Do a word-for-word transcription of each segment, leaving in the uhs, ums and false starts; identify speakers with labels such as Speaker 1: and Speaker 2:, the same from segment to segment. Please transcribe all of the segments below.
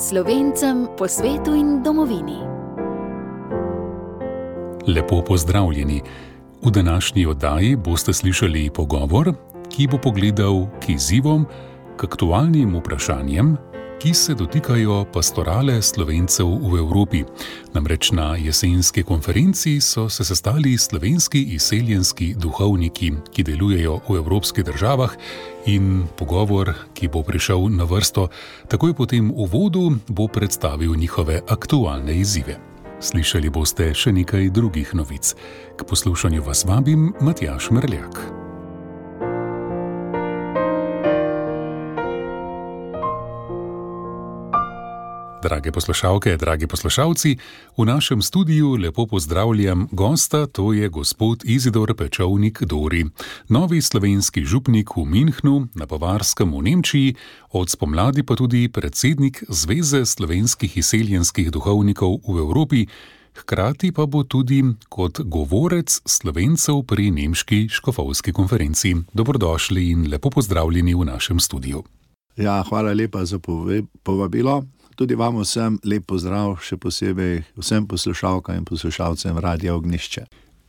Speaker 1: Slovencem po svetu in domovini.
Speaker 2: Lepo pozdravljeni. V današnji oddaji boste slišali pogovor, ki bo pogledal k izzivom, k aktualnim vprašanjem, ki se dotikajo pastorale Slovencev v Evropi. Namreč na jesenski konferenci so se sestali slovenski izseljenski duhovniki, ki delujejo v evropskih državah, in pogovor, ki bo prišel na vrsto takoj po tem uvodu, bo predstavil njihove aktualne izzive. Slišali boste še nekaj drugih novic. K poslušanju vas vabim Matjaž Merljak. Drage poslušalke, dragi poslušalci, v našem studiu lepo pozdravljam gosta, to je gospod Izidor Pečovnik-Dori, novi slovenski župnik v Münchnu na Bavarskem v Nemčiji, od spomladi pa tudi predsednik Zveze slovenskih izseljenskih duhovnikov v Evropi, hkrati pa bo tudi kot govorec Slovencev pri nemški škofovski konferenci. Dobrodošli in lepo pozdravljeni v našem studiu.
Speaker 3: Ja, hvala lepa za povabilo. Tudi vam vsem lep pozdrav, še posebej vsem poslušalkam in poslušalcem Radia Ognjišče.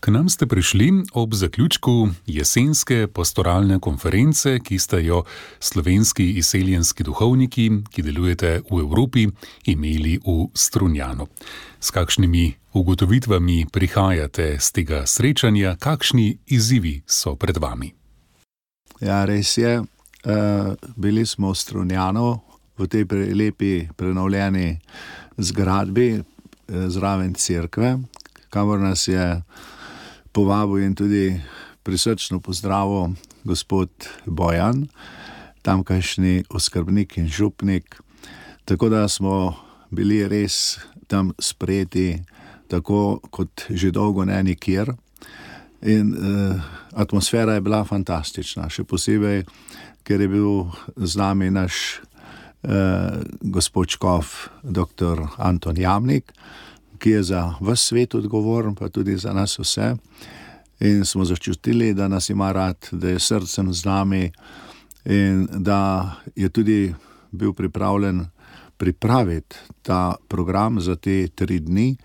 Speaker 2: K nam ste prišli ob zaključku jesenske pastoralne konference, ki ste jo slovenski izseljenski duhovniki, ki delujete v Evropi, imeli v Strunjanu. S kakšnimi ugotovitvami prihajate z tega srečanja, kakšni izzivi so pred vami?
Speaker 3: Ja, res je. Uh, bili smo v Strunjanu, v tej lepi prenovljeni zgradbi zraven cerkve, kamor nas je povabil in tudi prisrčno pozdravil gospod Bojan, tamkajšnji oskrbnik in župnik. Tako da smo bili res tam sprejeti, tako kot že dolgo ne nikjer. In eh, atmosfera je bila fantastična, še posebej, ker je bil z nami naš Uh, gospod škof doktor Anton Jamnik, ki je za ves svet odgovoren, pa tudi za nas vse. In smo začutili, da nas ima rad, da je srcem z nami in da je tudi bil pripravljen pripraviti ta program za te tri dni,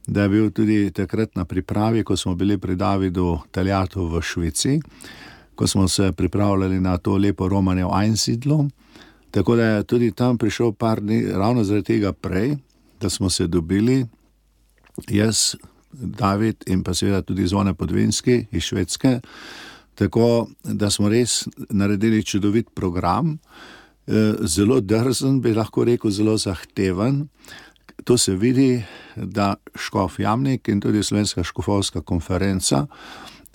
Speaker 3: da je bil tudi takrat na pripravi, ko smo bili pri Davidu Taljatu v Švici, ko smo se pripravljali na to lepo romanje v Einsiedlu. Tako da je tudi tam prišel par dni, ravno zaradi tega prej, da smo se dobili, jaz, David in pa seveda tudi Zvone Podvinski iz Švedske, tako da smo res naredili čudovit program, zelo drzen, bi lahko rekel, zelo zahteven. To se vidi, da škof Jamnik in tudi Slovenska škofovska konferenca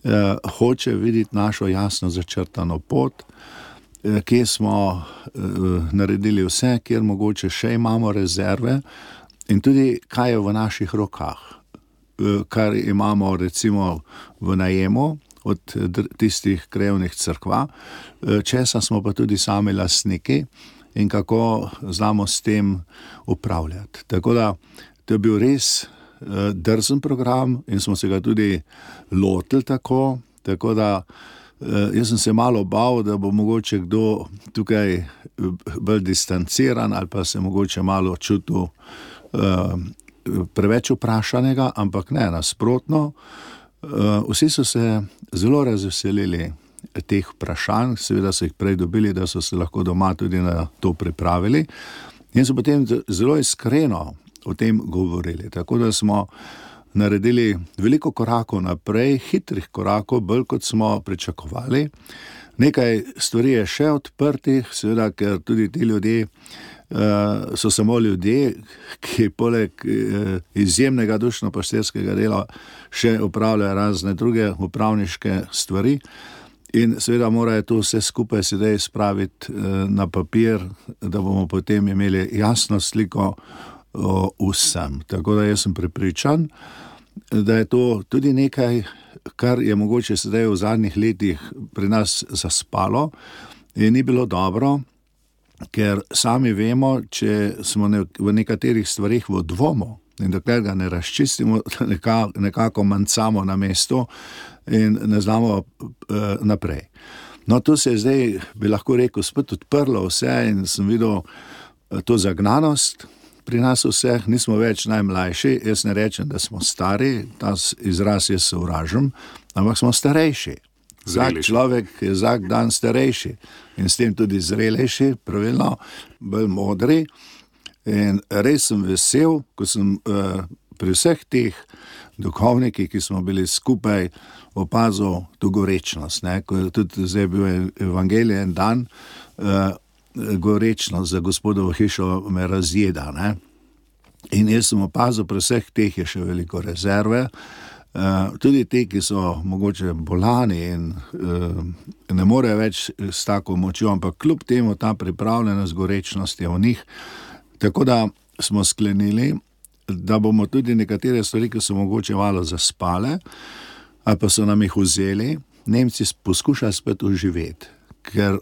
Speaker 3: eh, hoče videti našo jasno začrtano pot, kje smo uh, naredili vse, kjer mogoče še imamo rezerve in tudi kaj je v naših rokah, uh, kar imamo recimo v najemu od dr- tistih krajevnih cerkva, uh, česa smo pa tudi sami lastniki in kako znamo s tem upravljati. Tako da to je bil res uh, drzen program in smo se ga tudi lotili tako, tako da Uh, jaz sem se malo bal, da bo mogoče kdo tukaj bolj distanciran ali pa se mogoče malo čutil uh, preveč vprašanega, ampak ne, nasprotno. Uh, vsi so se zelo razveselili teh vprašanj, seveda so jih prej dobili, da so se lahko doma tudi na to pripravili in so potem zelo iskreno o tem govorili. Tako da smo naredili veliko korakov naprej, hitrih korakov, bolj kot smo pričakovali. Nekaj stvari je še odprtih, seveda, ker tudi ti ljudje uh, so samo ljudje, ki poleg uh, izjemnega dušno-pašterskega dela še upravljajo razne druge upravniške stvari in seveda morajo to vse skupaj sedaj spraviti uh, na papir, da bomo potem imeli jasno sliko o vsem. Tako da jaz sem prepričan, da je to tudi nekaj, kar je mogoče sedaj v zadnjih letih pri nas zaspalo in ni bilo dobro, ker sami vemo, če smo ne, v nekaterih stvarih v dvomu in dokler ga ne razčistimo, nekako, nekako mancamo na mestu in ne znamo uh, naprej. No, to se je zdaj, bi lahko rekel, spet odprlo vse in sem videl to zagnanost pri nas vseh nismo več najmlajši, jaz ne rečem, da smo stari, ta izraz jaz sovražim, ampak smo starejši. Vsak človek je vsak dan starejši in s tem tudi zrelejši, pravilno, bolj modri. In res sem vesel, ko sem uh, pri vseh teh duhovnikih, ki smo bili skupaj, opazil to gorečnost. Ne? Ko je tudi zdaj bil evangelij en dan, uh, gorečnost za Gospodovo hišo me razjeda. Ne? In jaz sem opazil, pri vseh teh je še veliko rezerve, uh, tudi te, ki so mogoče bolani in uh, ne morejo več s tako močjo, ampak kljub temu ta pripravljenost, gorečnost je v njih. Tako da smo sklenili, da bomo tudi nekatere stvari, ki so mogoče malo zaspale, ali pa so nam jih vzeli, Nemci poskušali spet oživeti. Ker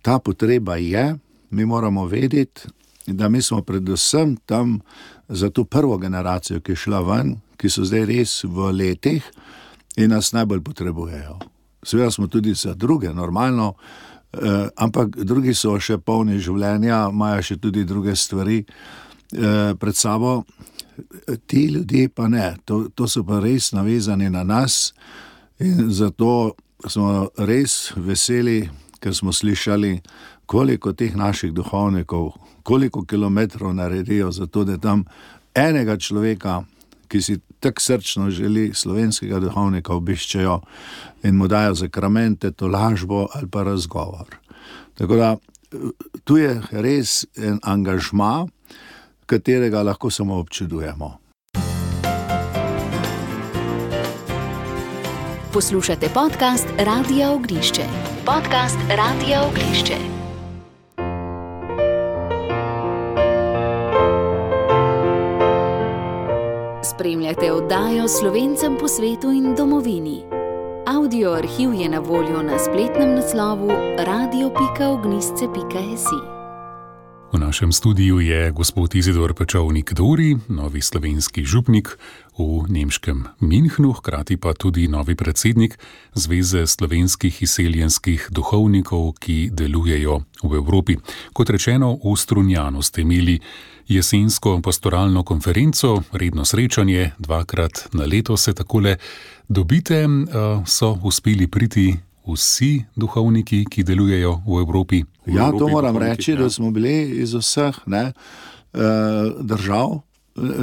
Speaker 3: ta potreba je, mi moramo vedeti, da mi smo predvsem tam za to prvo generacijo, ki je šla ven, ki so zdaj res v letih in nas najbolj potrebujejo. Seveda smo tudi za druge, normalno, eh, ampak drugi so še polni življenja, imajo še tudi druge stvari eh, pred sabo. Ti ljudje pa ne, to, to so pa res navezani na nas in zato smo res veseli, ker smo slišali, koliko teh naših duhovnikov, koliko kilometrov naredijo za to, da tam enega človeka, ki si tak srčno želi slovenskega duhovnika, obiščejo in mu dajo zakramente, tolažbo ali pa razgovor. Tako da tu je res en angažma, katerega lahko samo občudujemo.
Speaker 1: Poslušate podcast Radia Ognišče. Podcast Radia Ognišče. Spremljate oddajo Slovencem po svetu in domovini. Audio arhiv je na voljo na spletnem naslovu radio pika ognisce pika si.
Speaker 2: V našem studiu je gospod Izidor Pečovnik-Dori, novi slovenski župnik v nemškem Münchnu, hkrati pa tudi novi predsednik Zveze slovenskih izseljenskih duhovnikov, ki delujejo v Evropi. Kot rečeno, v Strunjanu ste imeli jesensko pastoralno konferenco, redno srečanje, dvakrat na leto se takole dobite, so uspeli priti vsi duhovniki, ki delujejo v Evropi? V
Speaker 3: ja,
Speaker 2: Evropi
Speaker 3: to moram reči,
Speaker 2: ja.
Speaker 3: Da smo bili iz vseh ne, držav,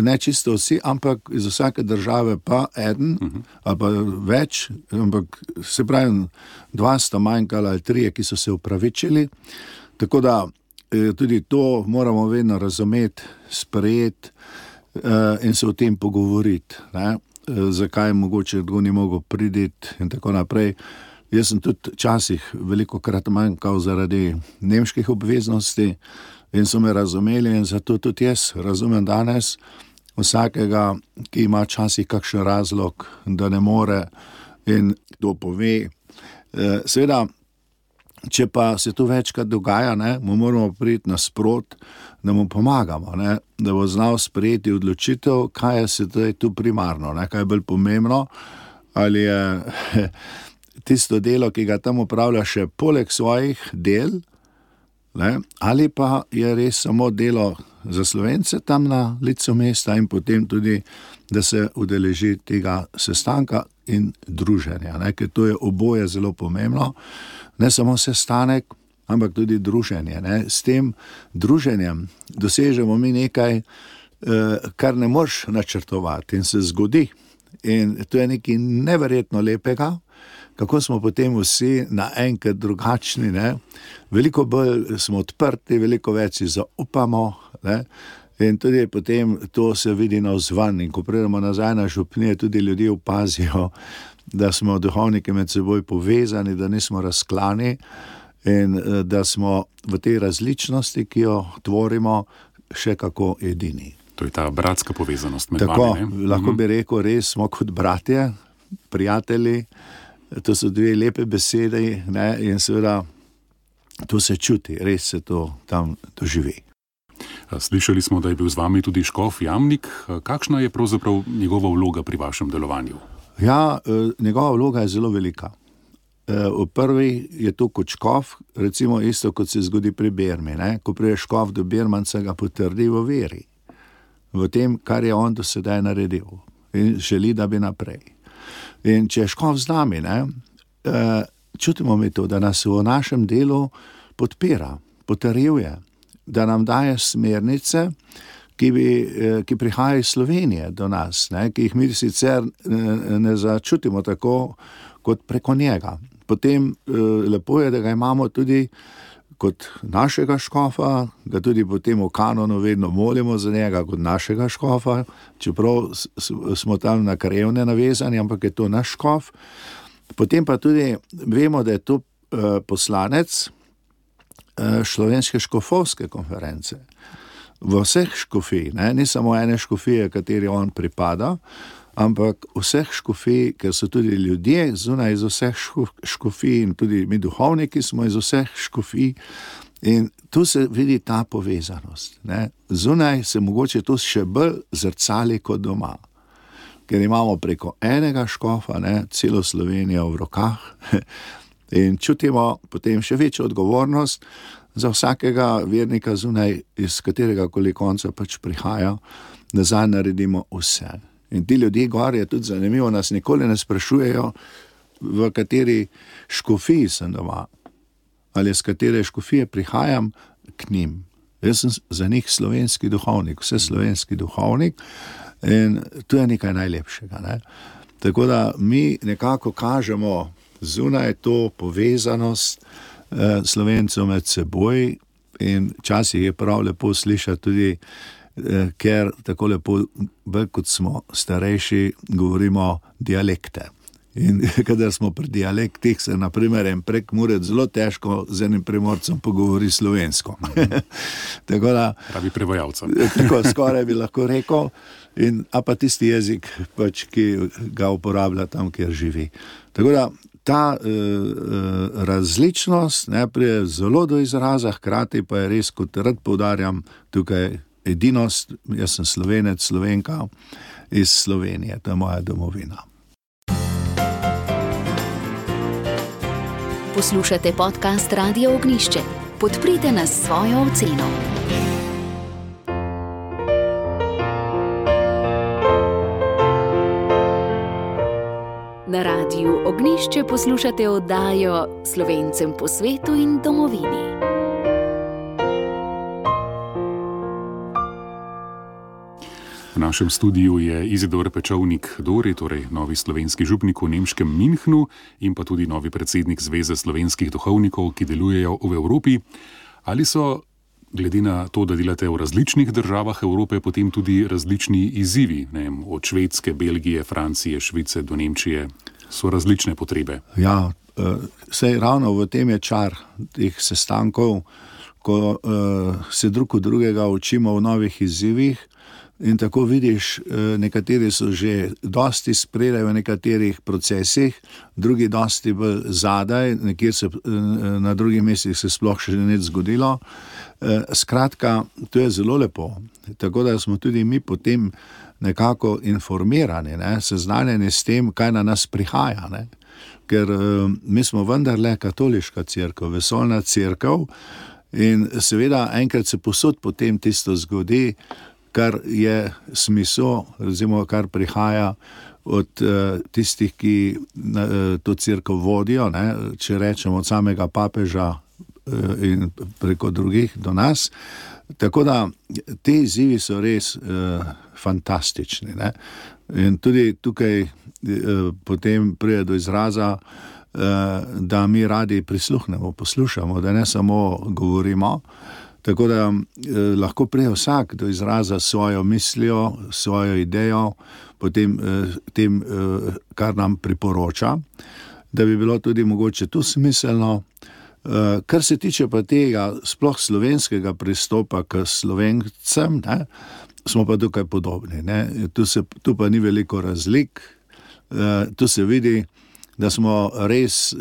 Speaker 3: ne čisto vsi, ampak iz vsake države pa eden, uh-huh. ali pa več, ampak se pravi, dva sta manjkala ali trije, ki so se upravičili. Tako da tudi to moramo vedno razumeti, sprejeti in se o tem pogovoriti. Ne. Zakaj mogoče kdo ni mogel priditi in tako naprej. Jaz sem tudi včasih veliko krat manjkal zaradi nemških obveznosti in so me razumeli in zato tudi jaz razumem danes vsakega, ki ima včasih kakšen razlog, da ne more in kdo pove. Seveda, če pa se to večkrat dogaja, ne, mu moramo priti nasprot, da mu pomagamo, ne, da bo znal sprejeti odločitev, kaj je se tu primarno, ne, kaj je bolj pomembno, ali je tisto delo, ki ga tam upravlja še poleg svojih del, ne, ali pa je res samo delo za Slovence tam na licu mesta in potem tudi, da se udeleži tega sestanka in druženja, ne, ker to je oboje zelo pomembno, ne samo sestanek, ampak tudi druženje. Ne. S tem druženjem dosežemo mi nekaj, kar ne moreš načrtovati in se zgodi. In to je nekaj neverjetno lepega, kako smo potem vsi naenkrat drugačni, ne? Veliko bolj smo odprti, veliko več si zaupamo, ne? In tudi potem to se vidi navzven in ko pridemo nazaj na župnije, tudi ljudje opazijo, da smo duhovniki med seboj povezani, da nismo razklani in da smo v tej različnosti, ki jo tvorimo, še kako edini.
Speaker 2: To je ta bratska povezanost med
Speaker 3: Tako,
Speaker 2: vami, ne?
Speaker 3: Lahko bi rekel, res smo kot bratje, prijatelji. To so dve lepe besede, ne, in seveda to se čuti, res se to tam doživi.
Speaker 2: Slišali smo, da je bil z vami tudi škof Jamnik. Kakšna je pravzaprav njegova vloga pri vašem delovanju?
Speaker 3: Ja, njegova vloga je zelo velika. V prvi je to kot škof, recimo isto kot se zgodi pri bermi. Ne? Ko pride škof do bermanca, ga potrdi v veri. v tem, kar je on do sedaj naredil in želi, da bi naprej. In če je škof z nami, ne, čutimo mi to, da nas v našem delu podpira, potrjuje, da nam daje smernice, ki, bi, ki prihajajo iz Slovenije do nas, ne, ki jih mi sicer ne začutimo tako kot preko njega. Potem lepo je, da ga imamo tudi kot našega škofa, ga tudi potem v kanonu vedno molimo za njega kot našega škofa, čeprav smo tam na krajevne navezani, ampak je to naš škof. Potem pa tudi vemo, da je to poslanec Slovenske škofovske konference. V vseh škofij, ne, ni samo ene škofije, kateri on pripada, ampak vseh škofij, ker so tudi ljudje zunaj iz vseh škofij in tudi mi duhovniki smo iz vseh škofij in tu se vidi ta povezanost. Ne. Zunaj se mogoče to še bolj zrcali kot doma, ker imamo preko enega škofa, ne, celo Slovenijo v rokah in čutimo potem še večjo odgovornost za vsakega vernika zunaj, iz katerega koli konca pač prihaja, da zanj naredimo vse. In ti ljudje gor je tudi zanimivo, nas nikoli ne sprašujejo, v kateri škofiji sem doma, ali z katere škofije prihajam k njim. Jaz sem za njih slovenski duhovnik, vse slovenski duhovnik in to je nekaj najlepšega. Ne? Tako da mi nekako kažemo zunaj to povezanost eh, Slovencev med seboj in včasih je prav lepo slišati tudi, ker tako lepo, bolj kot smo starejši, govorimo dialekte. In kadar smo pri dialektih, se na primer en Prekmurec zelo težko z enim Primorcem pogovori slovensko. Tako da...
Speaker 2: Pravi prevajalca.
Speaker 3: Tako skoraj bi lahko rekel, in, a pa tisti jezik, pač, ki ga uporablja tam, kjer živi. Tako da ta uh, različnost ne, prije zelo do izraza, hkrati pa je res, kot rad poudarjam, tukaj edinost, jaz sem Slovenec, Slovenka iz Slovenije, to je moja domovina.
Speaker 1: Poslušate podcast Radia Ognjišče. Podprite nas s svojo oceno. Na Radiu Ognjišče poslušate oddajo Slovencem po svetu in domovini.
Speaker 2: V našem studiu je Izidor Pečovnik-Dori, torej novi slovenski župnik v nemškem Münchnu in pa tudi novi predsednik Zveze slovenskih duhovnikov, ki delujejo v Evropi. Ali so, glede na to, da delate v različnih državah Evrope, potem tudi različni izzivi, ne vem, od Švedske, Belgije, Francije, Švice do Nemčije, so različne potrebe?
Speaker 3: Ja, saj ravno v tem je čar teh sestankov, ko se drug od drugega učimo v novih izzivih. In tako vidiš, nekateri so že dosti spredaj v nekaterih procesih, drugi dosti bolj zadaj, nekjer se na drugih mestih se sploh še nič zgodilo. Skratka, to je zelo lepo. Tako da smo tudi mi potem nekako informirani, ne, seznanjeni s tem, kaj na nas prihaja. Ne. Ker mi smo vendarle katoliška cerkev, vesoljna cerkev in seveda enkrat se posod potem tisto zgodi, kar je smisel, recimo, kar prihaja od uh, tistih, ki uh, to cerkev vodijo, ne, če rečemo od samega papeža uh, in preko drugih do nas. Tako da te izzivi so res uh, fantastični. Ne. In tudi tukaj uh, potem pride do izraza, uh, da mi radi prisluhnemo, poslušamo, da ne samo govorimo. Tako da eh, lahko prije vsak do izraza svojo mislijo, svojo idejo, potem eh, tem, eh, kar nam priporoča, da bi bilo tudi mogoče tu smiselno. Eh, kar se tiče pa tega sploh slovenskega pristopa k Slovencem, ne, smo pa tukaj podobni. Ne. Tu, se, tu pa ni veliko razlik, eh, tu se vidi, da smo res eh,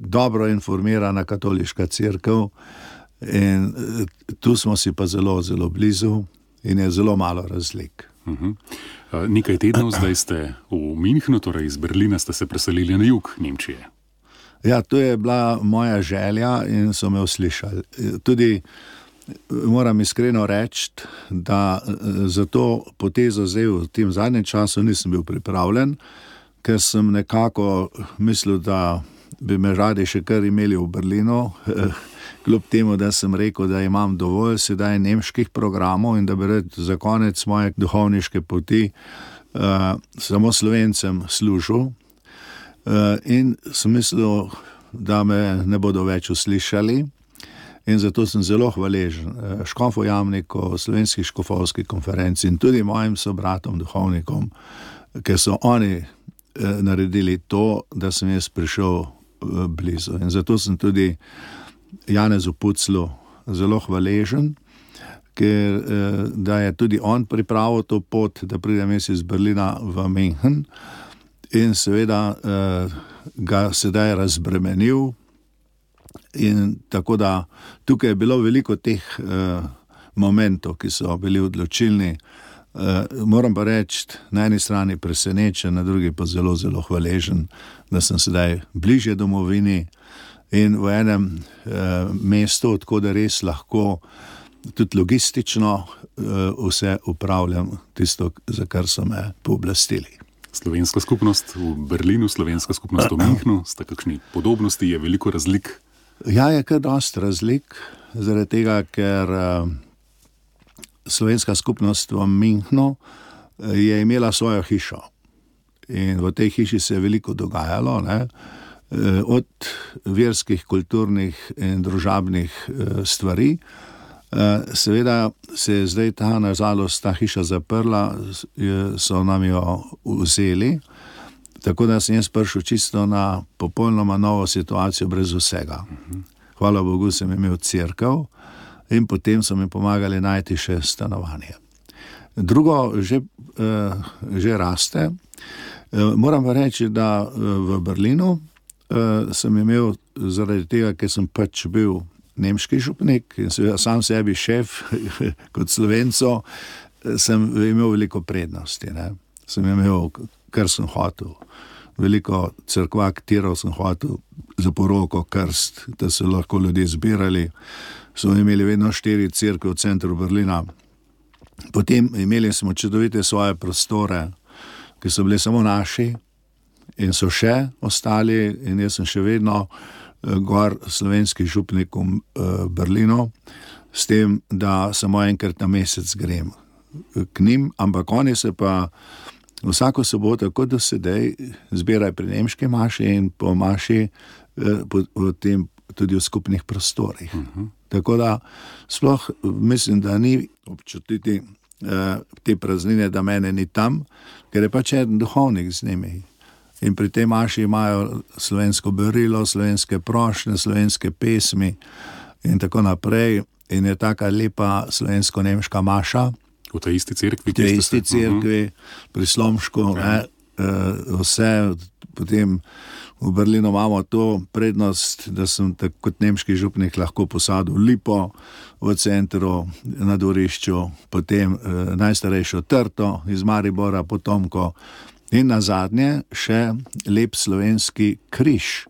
Speaker 3: dobro informirana katoliška cerkev, in tu smo si pa zelo, zelo blizu in je zelo malo razlik.
Speaker 2: Uh-huh. Nekaj tednov zdaj ste v Münchnu, torej iz Berlina ste se preselili na jug Nemčije.
Speaker 3: Ja, to je bila moja želja in so me uslišali. Tudi moram iskreno reči, da za to potezo zdaj v tem zadnjem času nisem bil pripravljen, ker sem nekako mislil, da bi me radi še kar imeli v Berlinu, kljub temu, da sem rekel, da imam dovolj sedaj nemških programov in da bi rad za konec moje duhovniške poti uh, samo Slovencem služil. Uh, in sem mislil, da me ne bodo več uslišali. In zato sem zelo hvaležen škofu Jamniku, Slovenski škofovski konferenci in tudi mojim sobratom, duhovnikom, ker so oni naredili to, da sem jaz prišel blizu. In zato sem tudi Janezu Puclu zelo hvaležen, ker da je tudi on pripravil to pot, da pridem jaz iz Berlina v München in seveda ga sedaj razbremenil. In tako da tukaj je bilo veliko teh uh, momentov, ki so bili odločilni. Uh, moram pa reči, na eni strani presenečen, na drugi pa zelo, zelo hvaležen, da sem sedaj bližje domovini in v enem uh, mestu, odkud res lahko tudi logistično uh, vse upravljam tisto, za kar so me pooblastili.
Speaker 2: Slovenska skupnost v Berlinu, slovenska skupnost v Münchnu, sta kakšni podobnosti, je veliko razlik?
Speaker 3: Ja, je kar dosti razlik, zaradi tega, ker uh, slovenska skupnost v Münchnu je imela svojo hišo in v tej hiši se je veliko dogajalo, ne? Od verskih, kulturnih in družabnih uh, stvari. Uh, seveda se je zdaj ta, nažalost, ta hiša zaprla, so nam jo vzeli. Tako da sem jaz prišel čisto na popolnoma novo situacijo brez vsega. Hvala Bogu, sem imel cerkev in potem so mi pomagali najti še stanovanje. Drugo že, uh, že raste. Uh, moram pa reči, da uh, v Berlinu uh, sem imel zaradi tega, ker sem pač bil nemški župnik in seveda sam sebi šef kot Slovenco, sem imel veliko prednosti. Ne? Sem imel, kar sem hotel. Veliko cerkva, katerov sem hotel za poroko, krst, da so lahko ljudje zbirali. So imeli vedno štiri cerkve v centru Berlina. Potem imeli smo čudovite svoje prostore, ki so bili samo naši in so še ostali in jaz sem še vedno gor slovenski župnik v Berlinu, s tem, da samo enkrat na mesec grem k njim, ampak oni se pa vsako soboto, kot do sedaj, zbiraj pri nemški maši in po maši potem tudi v skupnih prostorih. Uh-huh. Tako da sploh mislim, da ni občutiti uh, te praznine, da mene ni tam, ker je pač en duhovnik z njimi. In pri tej maši imajo slovensko berilo, slovenske prošnje, slovenske pesmi in tako naprej. In je taka lepa slovensko-nemška maša.
Speaker 2: V tej isti cerkvi?
Speaker 3: V tej isti cerkvi, uh-huh. Pri Slomšku, ne, uh, vse. Potem v Berlinu imamo to prednost, da sem tak, kot nemški župnik lahko posadil lipo v centru, na dvorišču, potem uh, najstarejšo trto iz Maribora, potomko in nazadnje še lep slovenski križ.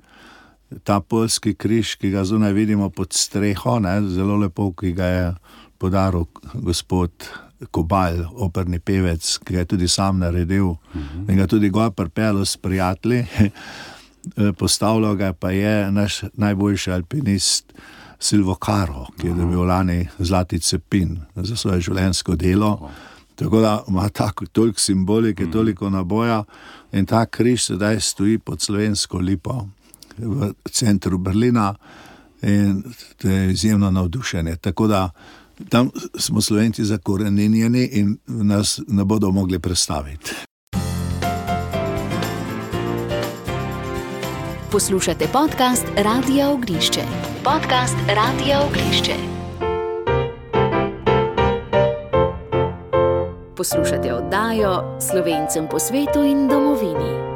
Speaker 3: Ta poljski križ, ki ga zunaj vidimo pod streho, ne, zelo lepo, ki ga je podaril gospod Kobal, operni pevec, ki ga je tudi sam naredil, uh-huh. In ga tudi gor pripel s prijatelji. Postavljal ga pa je naš najboljši alpinist Silvo Caro, ki je dobil lani zlati cepin za svoje življenjsko delo. Uh-huh. Tako da ima tako, toliko simbolike, uh-huh. Toliko naboja in ta križ sedaj stoji pod slovensko lipo v centru Berlina in to je izjemno navdušenje. Tako da tam smo Slovenci zakoreninjeni in nas ne bodo mogli prestaviti.
Speaker 1: Poslušate podcast Radia Ognišče. Podcast Radia Ognišče. Poslušate oddajo Slovencem po svetu in domovini.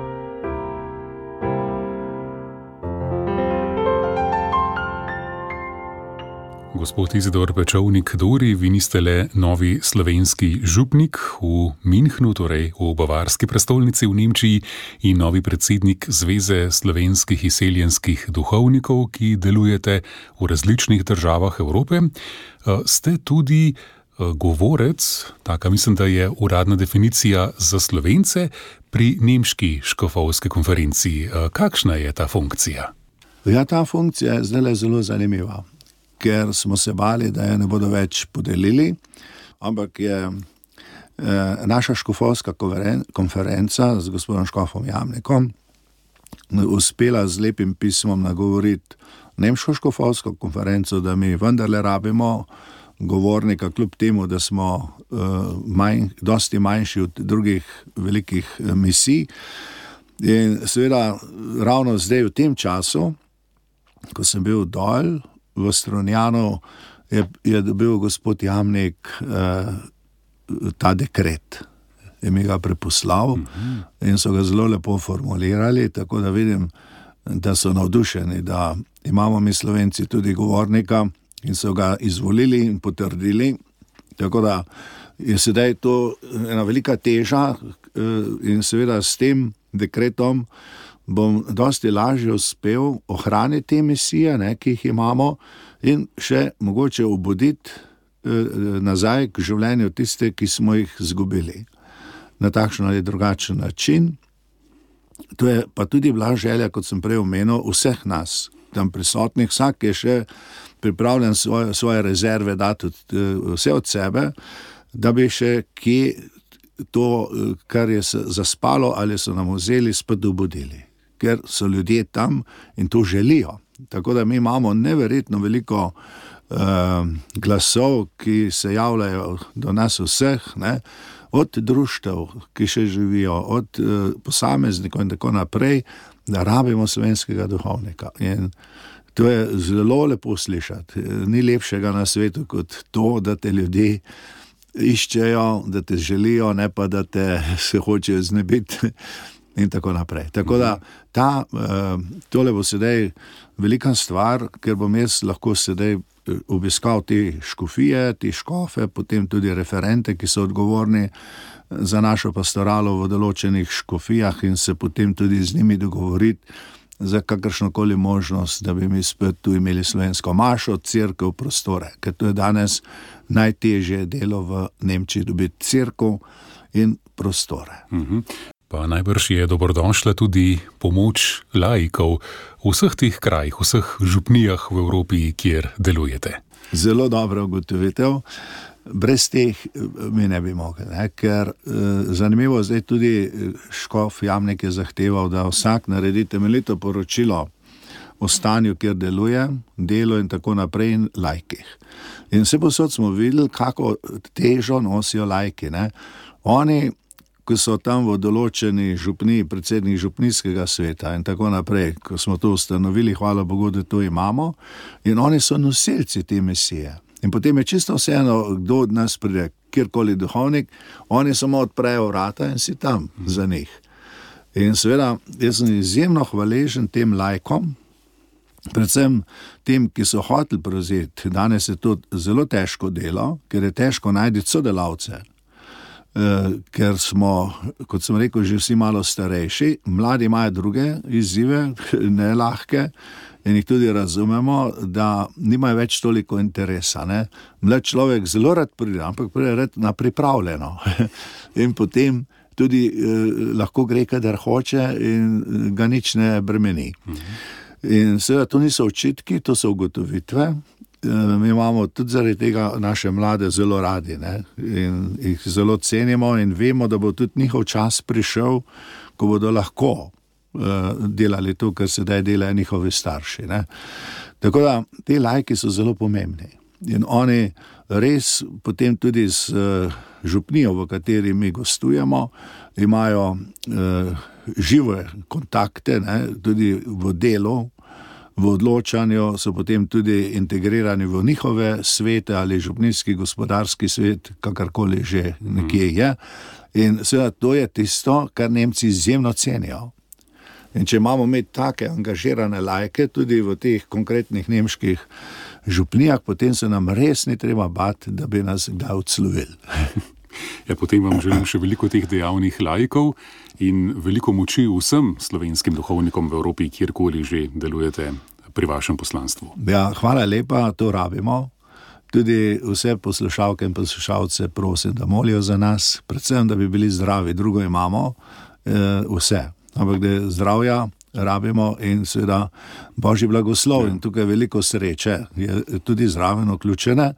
Speaker 2: Gospod Izidor Pečovnik-Dori, vi niste le novi slovenski župnik v Münchnu, torej v bavarski prestolnici v Nemčiji, in novi predsednik Zveze slovenskih izseljenskih duhovnikov, ki delujete v različnih državah Evrope. Ste tudi govorec, taka mislim, da je uradna definicija za Slovence, pri nemški škofovski konferenci. Kakšna je ta funkcija?
Speaker 3: Ja, ta funkcija je zdaj zelo zanimiva, ker smo se bali, da je ne bodo več podelili, ampak je eh, naša škofovska konferenca z gospodom Škofom Jamnikom uspela z lepim pismom nagovoriti nemško škofovsko konferenco, da mi vendarle rabimo govornika, kljub temu, da smo uh, manj, dosti manjši od drugih velikih uh, misij. In seveda ravno zdaj v tem času, ko sem bil dol v Strunjanu, je, je dobil gospod Jamnik uh, ta dekret. Je mi ga preposlal uh-huh. in so ga zelo lepo formulirali, tako da vidim, da so navdušeni, da imamo mi Slovenci tudi govornika, in so ga izvolili in potrdili, tako da je sedaj to ena velika teža in seveda s tem dekretom bom dosti lažje uspel ohraniti te misije, ne, ki jih imamo, in še mogoče obuditi nazaj k življenju tiste, ki smo jih zgubili na takšen ali drugačen način. To je pa tudi bila želja, kot sem prej omenil, vseh nas tam prisotnih, vsak je še pripravljen svoje, svoje rezerve dati vse od sebe, da bi še kje to, kar je zaspalo ali so nam vzeli, spet obudili. Ker so ljudje tam in to želijo. Tako da mi imamo neverjetno veliko uh, glasov, ki se javljajo do nas vseh, ne? Od društev, ki še živijo, od uh, posameznikov in tako naprej, da rabimo slovenskega duhovnika. In to je zelo lepo slišati. Ni lepšega na svetu kot to, da te ljudje iščejo, da te želijo, ne pa da te se hočejo znebiti in tako naprej. Tako da ta, tole bo sedaj velika stvar, ker bom jaz lahko sedaj obiskal te škofije, te škofe, potem tudi referente, ki so odgovorni za našo pastoralo v določenih škofijah in se potem tudi z njimi dogovoriti za kakršnokoli možnost, da bi mi spet tu imeli slovensko mašo, cerkev, prostore, ker to je danes najtežje delo v Nemčiji, dobiti cerkev in prostore.
Speaker 2: Mhm. Pa najbrž je dobrodošla tudi pomoč laikov v vseh teh krajih, vseh župnijah v Evropi, kjer delujete.
Speaker 3: Zelo dobra ugotovitev. Brez teh mi ne bi mogli, ne? Ker eh, zanimivo, zdaj tudi škof Jamnik je zahteval, da vsak naredi temeljito poročilo o stanju, kjer deluje, delo in tako naprej in laikih. In vse posod smo videli, kako težo nosijo laiki, ne? Oni, ko so tam v določeni župniji, predsednik župnijskega sveta in tako naprej, ko smo to ustanovili, hvala Bogu, da to imamo, in oni so nosilci te misije. In potem je čisto vseeno, kdo od nas pride, kjerkoli duhovnik, oni samo odprejo vrata in si tam za njih. In seveda, jaz sem izjemno hvaležen tem laikom, predvsem tem, ki so hoteli prevzeti. Danes je to zelo težko delo, ker je težko najti sodelavce. Ker smo, kot sem rekel, že vsi malo starejši, mladi imajo druge izzive, ne lahke, in jih tudi razumemo, da nimajo več toliko interesa. Ne? Mlad človek zelo rad pride, ampak pride rad na pripravljeno. In potem tudi eh, lahko gre, kadar hoče in ga nič ne bremeni. In seveda to niso očitki, to so ugotovitve. Mi imamo tudi zaradi tega naše mlade zelo radi, ne? In jih zelo cenimo in vemo, da bo tudi njihov čas prišel, ko bodo lahko uh, delali to, kar sedaj delajo njihovi starši. Ne? Tako da te laiki so zelo pomembni in oni res potem tudi z uh, župnijo, v kateri mi gostujemo, imajo uh, žive kontakte, ne? Tudi v delu, v odločanju, so potem tudi integrirani v njihove svete ali župnijski gospodarski svet, kakorkoli že nekje je. In seveda to je tisto, kar Nemci izjemno cenijo. In če imamo imeti take angažirane laike tudi v teh konkretnih nemških župnijah, potem se nam res ni treba bati, da bi nas kdaj odslovili.
Speaker 2: Ja, potem vam želim še veliko teh dejavnih laikov in veliko moči vsem slovenskim duhovnikom v Evropi, kjerkoli že delujete pri vašem poslanstvu.
Speaker 3: Ja, hvala lepa, to rabimo. Tudi vse poslušalke in poslušalce prosim, da molijo za nas, predvsem, da bi bili zdravi, drugo imamo e, vse. Ampak da zdravja rabimo in seveda Božji blagoslov in tukaj veliko sreče je tudi zraven vključene.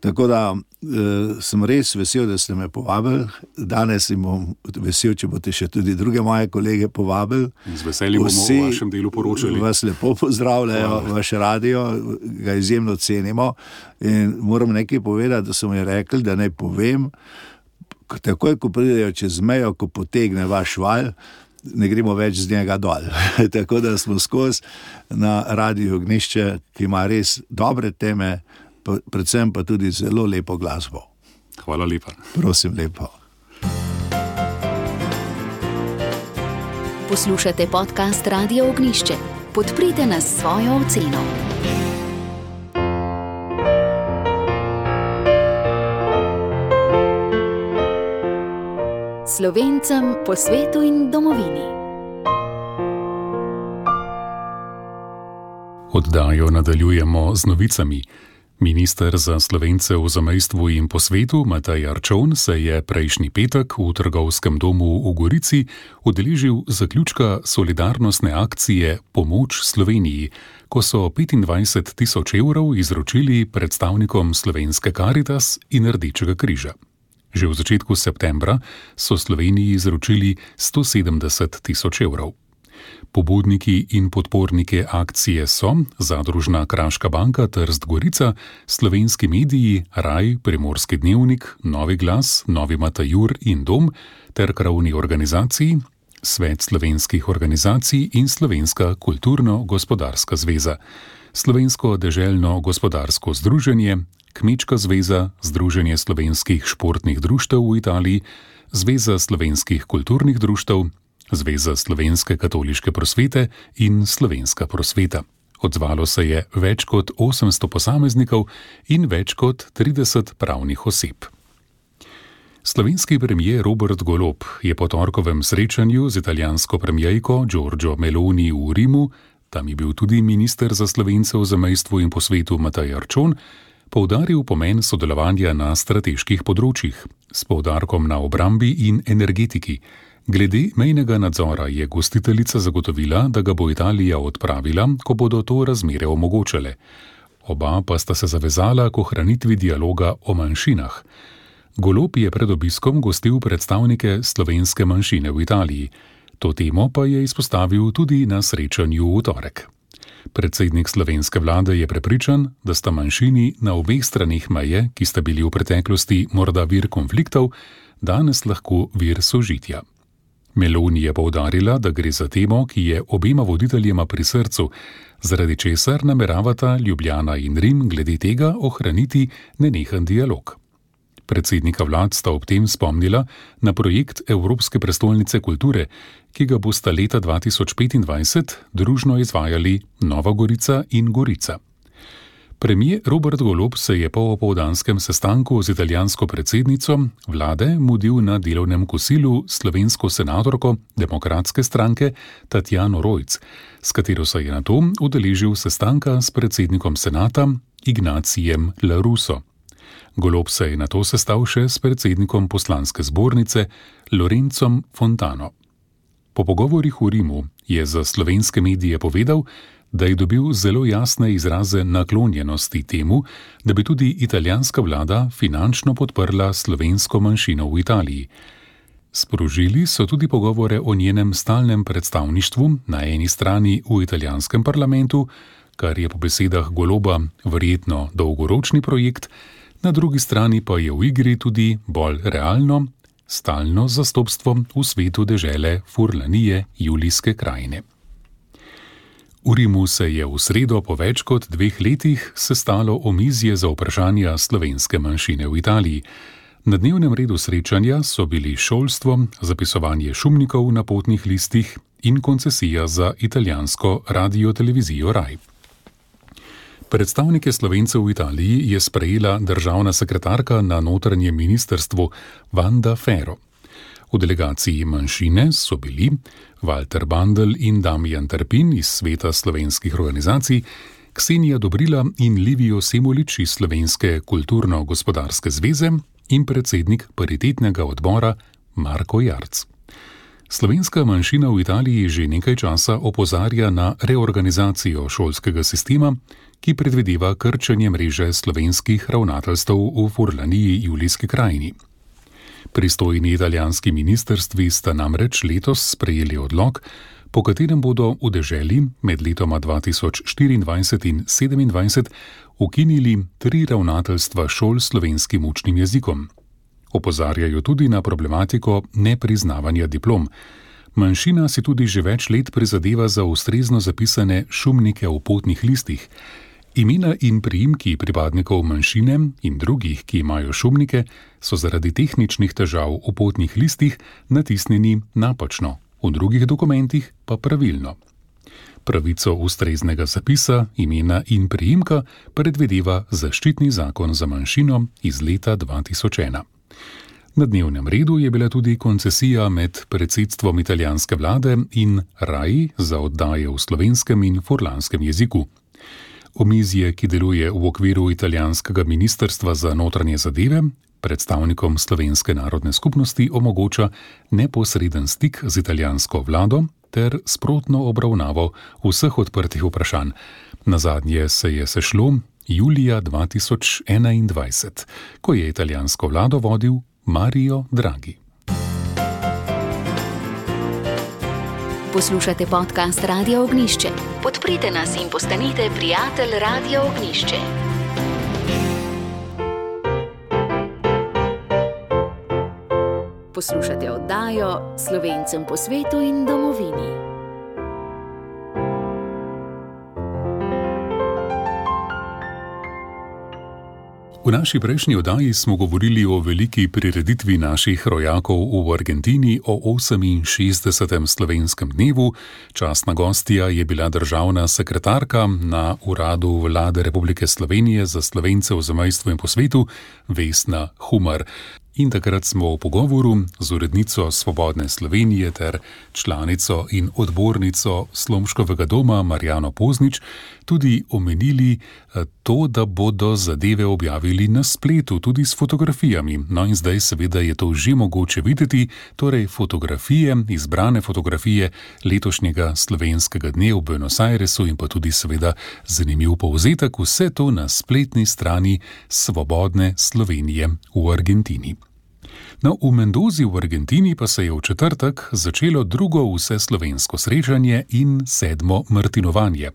Speaker 3: Tako da e, sem res vesel, da ste me povabili. Danes sem bom vesel, če boste še tudi druge moje kolege povabili.
Speaker 2: Z veseljem bomo o vašem delu poročali.
Speaker 3: Vas lepo pozdravljajo, vaš radio, ga izjemno cenimo. In moram nekaj povedati, da so mi rekli, da naj povem, takoj, ko pridejo čez mejo, ko potegne vaš val, ne gremo več z njega dol. Tako da smo skozi na Radiu Ognjišče, ki ima res dobre teme, predvsem pa tudi zelo lepo glasbo.
Speaker 2: Hvala lepa.
Speaker 3: Prosim lepo.
Speaker 1: Poslušate podcast Radia Ognjišče. Podprite nas s svojo oceno. Slovencem po svetu in domovini.
Speaker 2: Oddajo nadaljujemo z novicami. Minister za Slovence v zamejstvu in po svetu Matej Arčon se je prejšnji petek v trgovskem domu v Gorici udeležil zaključka solidarnostne akcije Pomoč Sloveniji, ko so petindvajset tisoč evrov izročili predstavnikom Slovenske Karitas in Rdečega križa. Že v začetku septembra so Sloveniji izročili sto sedemdeset tisoč evrov. Pobudniki in podporniki akcije so Zadružna Kraška banka Trst Gorica, slovenski mediji, Raj, Primorski dnevnik, Novi glas, Novi Matajur in Dom ter krovni organizaciji, Svet slovenskih organizacij in Slovenska kulturno-gospodarska zveza, Slovensko deželno gospodarsko združenje, Kmečka zveza, Združenje slovenskih športnih društev v Italiji, Zveza slovenskih kulturnih društev, Zveza slovenske katoliške prosvete in Slovenska prosveta. Odzvalo se je več kot osemsto posameznikov in več kot trideset pravnih oseb. Slovenski premijer Robert Golob je po torkovem srečanju z italijansko premijerko Giorgio Meloni v Rimu, tam je bil tudi minister za Slovence v zamejstvu in po svetu Matej Arčon, poudaril pomen sodelovanja na strateških področjih, s poudarkom na obrambi in energetiki. Glede mejnega nadzora je gostiteljica zagotovila, da ga bo Italija odpravila, ko bodo to razmere omogočale. Oba pa sta se zavezala k ohranitvi dialoga o manjšinah. Golob je pred obiskom gostil predstavnike slovenske manjšine v Italiji. To temo pa je izpostavil tudi na srečanju v torek. Predsednik slovenske vlade je prepričan, da sta manjšini na obeh straneh meje, ki sta bili v preteklosti morda vir konfliktov, danes lahko vir sožitja. Meloni je poudarila, da gre za temo, ki je obema voditeljema pri srcu, zaradi česar nameravata Ljubljana in Rim glede tega ohraniti nenehen dialog. Predsednika vlad sta ob tem spomnila na projekt Evropske prestolnice kulture, ki ga bosta leta dva tisoč petindvajset družno izvajali Nova Gorica in Gorica. Premier Robert Golob se je po opoldanskem sestanku z italijansko predsednico vlade mudil na delovnem kosilu slovensko senatorko demokratske stranke Tatjano Rojc, s katero se je nato udeležil sestanka s predsednikom senata Ignacijem La Russo. Golob se je nato sestal še s predsednikom poslanske zbornice Lorencom Fontano. Po pogovorih v Rimu je za slovenske medije povedal, da je dobil zelo jasne izraze naklonjenosti temu, da bi tudi italijanska vlada finančno podprla slovensko manjšino v Italiji. Sprožili so tudi pogovore o njenem stalnem predstavništvu na eni strani v italijanskem parlamentu, kar je po besedah Goloba verjetno dolgoročni projekt, na drugi strani pa je v igri tudi bolj realno, stalno zastopstvo v svetu dežele Furlanije Julijske krajine. V Rimu se je v sredo po več kot dveh letih sestalo omizje za vprašanja slovenske manjšine v Italiji. Na dnevnem redu srečanja so bili šolstvo, zapisovanje šumnikov na potnih listih in koncesija za italijansko radio-televizijo Raj. Predstavnike Slovencev v Italiji je sprejela državna sekretarka na notranjem ministrstvu Wanda Ferro. V delegaciji manjšine so bili Walter Bandl in Damijan Trpin iz Sveta slovenskih organizacij, Ksenija Dobrila in Livijo Semolič iz Slovenske kulturno-gospodarske zveze in predsednik paritetnega odbora Marko Jarc. Slovenska manjšina v Italiji že nekaj časa opozarja na reorganizacijo šolskega sistema, ki predvideva krčenje mreže slovenskih ravnateljstev v Furlaniji Julijski krajini. Pristojni italijanski ministrstvi sta namreč letos sprejeli odlok, po katerem bodo v deželi med letoma dva tisoč štiriindvajset in sedemindvajset ukinili tri ravnateljstva šol s slovenskim učnim jezikom. Opozarjajo tudi na problematiko nepriznavanja diplom. Manjšina si tudi že več let prizadeva za ustrezno zapisane šumnike v potnih listih. Imena in priimki pripadnikov manjšine in drugih, ki imajo šumnike, so zaradi tehničnih težav v potnih listih natisnjeni napačno, v drugih dokumentih pa pravilno. Pravico ustreznega zapisa, imena in priimka predvideva zaščitni zakon za manjšino iz leta dva tisoč ena. Na dnevnem redu je bila tudi koncesija med predsedstvom italijanske vlade in R A I za oddaje v slovenskem in furlanskem jeziku. Omizje, ki deluje v okviru italijanskega ministrstva za notranje zadeve, predstavnikom slovenske narodne skupnosti omogoča neposreden stik z italijansko vlado ter sprotno obravnavo vseh odprtih vprašanj. Nazadnje se je sešlo julija dva tisoč enaindvajset, ko je italijansko vlado vodil Mario Draghi.
Speaker 1: Poslušate podcast Radia Ognjišče. Podprite nas in postanite prijatelj Radia Ognjišče. Poslušate oddajo Slovencem po svetu in domovini.
Speaker 2: V naši prejšnji oddaji smo govorili o veliki prireditvi naših rojakov v Argentini, o oseminšestdesetem slovenskem dnevu. Častna gostja je bila državna sekretarka na Uradu Vlade Republike Slovenije za Slovence v zamejstvu in po svetu, Vesna Humar. In takrat smo v pogovoru z urednico Svobodne Slovenije ter članico in odbornico Slomškovega doma Marjano Poznič tudi omenili to, da bodo zadeve objavili na spletu, tudi s fotografijami. No in zdaj seveda je to že mogoče videti, torej fotografije, izbrane fotografije letošnjega slovenskega dne v Buenos Airesu in pa tudi seveda zanimiv povzetek, vse to na spletni strani Svobodne Slovenije v Argentini. No, v Mendozi v Argentini pa se je v četrtek začelo drugo vseslovensko srečanje in sedmo martinovanje.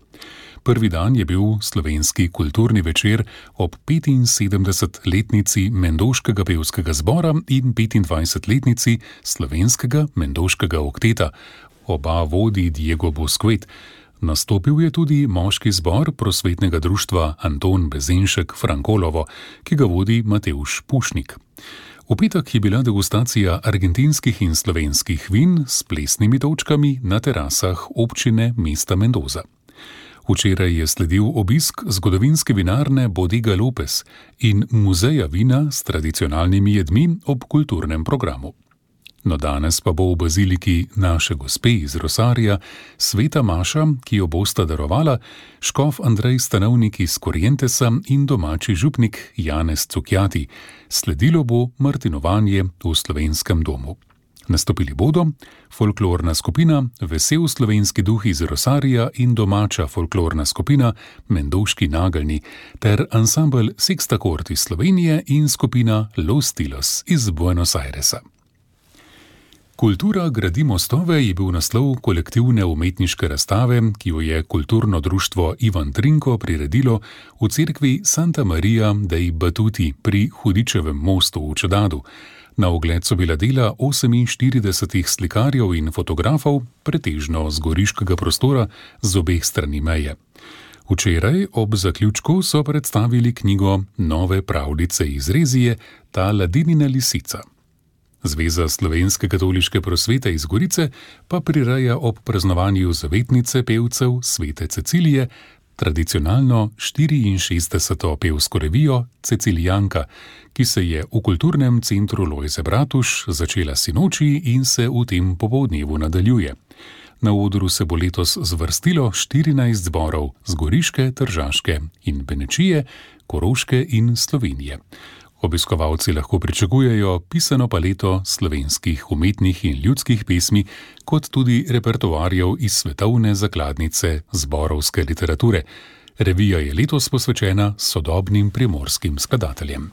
Speaker 2: Prvi dan je bil slovenski kulturni večer ob petinsedemdesetletnici Mendoškega pevskega zbora in petindvajsetletnici slovenskega Mendoškega okteta. Oba vodi Diego Bosquet. Nastopil je tudi moški zbor prosvetnega društva Anton Bezenšek Frankolovo, ki ga vodi Matevž Pušnik. V petek je bila degustacija argentinskih in slovenskih vin s plesnimi točkami na terasah občine mesta Mendoza. Včeraj je sledil obisk zgodovinske vinarne Bodega Lopez in muzeja vina s tradicionalnimi jedmi ob kulturnem programu. No, danes pa bo v baziliki Naše gospe iz Rosarja sveta maša, ki jo bosta darovala škof Andrej Stanovnik iz Corrientesa in domači župnik Janez Cukjati. Sledilo bo martinovanje v slovenskem domu. Nastopili bodo folklorna skupina Vesel slovenski duh iz Rosarja in domača folklorna skupina Mendoški nageljni ter ansambel Sexta Kord iz Slovenije in skupina Los Tilos iz Buenos Airesa. Kultura gradi mostove je bil naslov kolektivne umetniške razstave, ki jo je kulturno društvo Ivan Trinko priredilo v cerkvi Santa Maria dei Batuti pri Hudičevem mostu v Čedadu. Na ogled so bila dela oseminštiridesetih slikarjev in fotografov, pretežno z goriškega prostora z obeh strani meje. Včeraj ob zaključku so predstavili knjigo Nove pravljice iz Rezije, Ta ladinina lisica. Zveza slovenske katoliške prosvete iz Gorice pa prireja ob praznovanju zavetnice pevcev Svete Cecilije tradicionalno štiriinšestdeseto pevsko revijo Cecilijanka, ki se je v kulturnem centru Lojze Bratuš začela sinoči in se v tem popoldnevu nadaljuje. Na odru se bo letos zvrstilo štirinajst zborov z Goriške, Tržaške in Benečije, Koroške in Slovenije. Obiskovalci lahko pričakujejo pisano paleto slovenskih umetnih in ljudskih pesmi, kot tudi repertoarjev iz svetovne zakladnice zborovske literature. Revija je letos posvečena sodobnim primorskim skladateljem.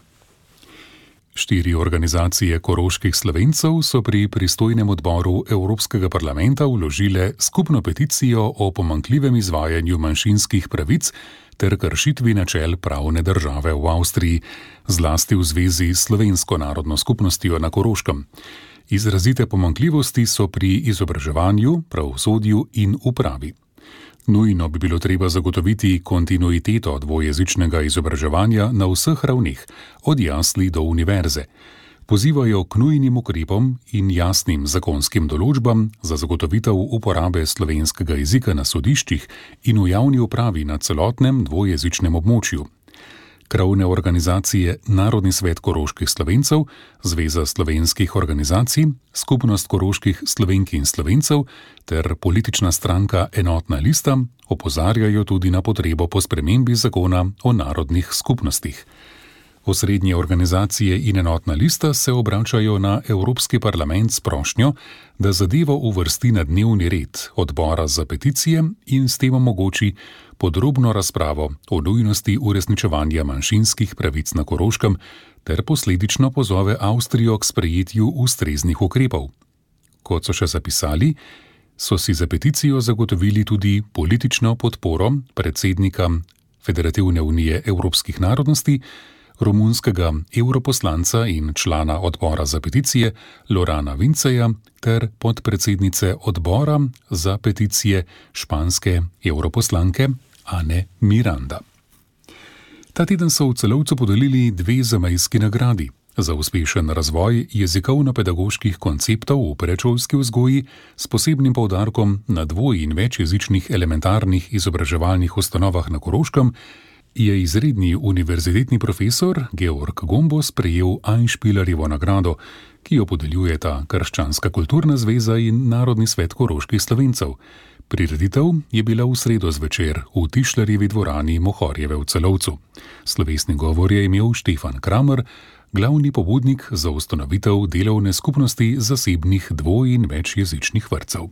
Speaker 2: Štiri organizacije koroških Slovencev so pri pristojnem odboru Evropskega parlamenta vložile skupno peticijo o pomanjkljivem izvajanju manjšinskih pravic ter kršitvi načel pravne države v Avstriji, zlasti v zvezi s slovensko narodno skupnostjo na Koroškem. Izrazite pomanjkljivosti so pri izobraževanju, pravosodju in upravi. Nujno bi bilo treba zagotoviti kontinuiteto dvojezičnega izobraževanja na vseh ravneh, od jasli do univerze. Pozivajo k nujnim ukrepom in jasnim zakonskim določbam za zagotovitev uporabe slovenskega jezika na sodiščih in v javni upravi na celotnem dvojezičnem območju. Krovne organizacije Narodni svet koroških Slovencev, Zveza slovenskih organizacij, Skupnost koroških Slovenk in Slovencev ter politična stranka Enotna lista opozarjajo tudi na potrebo po spremembi zakona o narodnih skupnostih. Osrednje organizacije in Enotna lista se obračajo na Evropski parlament s prošnjo, da zadevo uvrsti na dnevni red odbora za peticije in s tem omogoči podrobno razpravo o nujnosti uresničevanja manjšinskih pravic na Koroškem ter posledično pozove Avstrijo k sprejetju ustreznih ukrepov. Kot so še zapisali, so si za peticijo zagotovili tudi politično podporo predsednika Federativne unije evropskih narodnosti, romunskega evroposlanca in člana odbora za peticije Lorana Vinceja ter podpredsednice odbora za peticije španske evroposlanke Ane Miranda. Ta teden so v Celovcu podelili dve zamejski nagradi za uspešen razvoj jezikovno-pedagoških konceptov v predšolski vzgoji s posebnim poudarkom na dvoj- in večjezičnih elementarnih izobraževalnih ustanovah na Koroškem, je izredni univerzitetni profesor Georg Gombos prejel Einspielerjevo nagrado, ki jo podeljujeta Krščanska kulturna zveza in Narodni svet koroških Slovencev. Prireditev je bila v sredo zvečer v Tišlerjevi dvorani Mohorjeve v Celovcu. Slovesni govor je imel Štefan Kramer, glavni pobudnik za ustanovitev delovne skupnosti zasebnih dvoj- in večjezičnih vrtcev.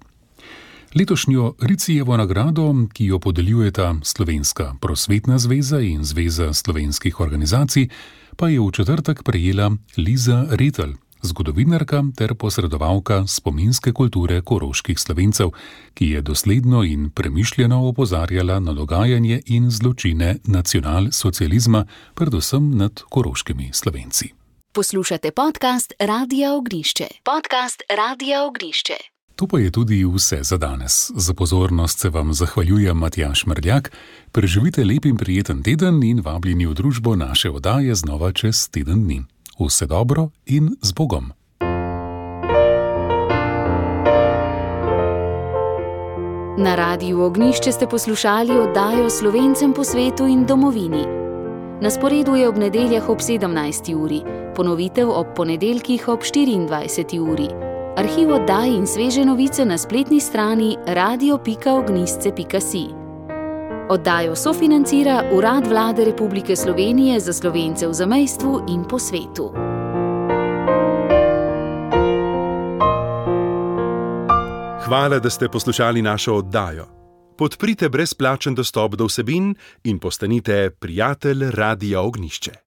Speaker 2: Letošnjo Ricijevo nagrado, ki jo podeljujeta Slovenska prosvetna zveza in Zveza slovenskih organizacij, pa je v četrtek prejela Liza Retelj, zgodovinarka ter posredovalka spominske kulture koroških Slovencev, ki je dosledno in premišljeno opozarjala na dogajanje in zločine nacionalsocializma, predvsem nad koroškimi Slovenci.
Speaker 1: Poslušate podcast Radia Ognišče. Podcast Radia Ognišče.
Speaker 2: To pa je tudi vse za danes. Za pozornost se vam zahvaljujem Matjaž Mrljak. Preživite lep in prijeten teden in vabljeni v družbo naše oddaje znova čez teden dni. Vse dobro in z Bogom.
Speaker 1: Na Radiu Ognišče ste poslušali oddajo Slovencem po svetu in domovini. Na sporedu je ob nedeljah ob sedemnajsti uri, ponovitev ob ponedeljkih ob štiriindvajseti uri. Arhiv oddaj in sveže novice na spletni strani radio pika ognisce pika si. Oddajo sofinancira Urad Vlade Republike Slovenije za Slovence v zamejstvu in po svetu.
Speaker 4: Hvala, da ste poslušali našo oddajo. Podprite brezplačen dostop do vsebin in postanite prijatelj Radia Ognišče.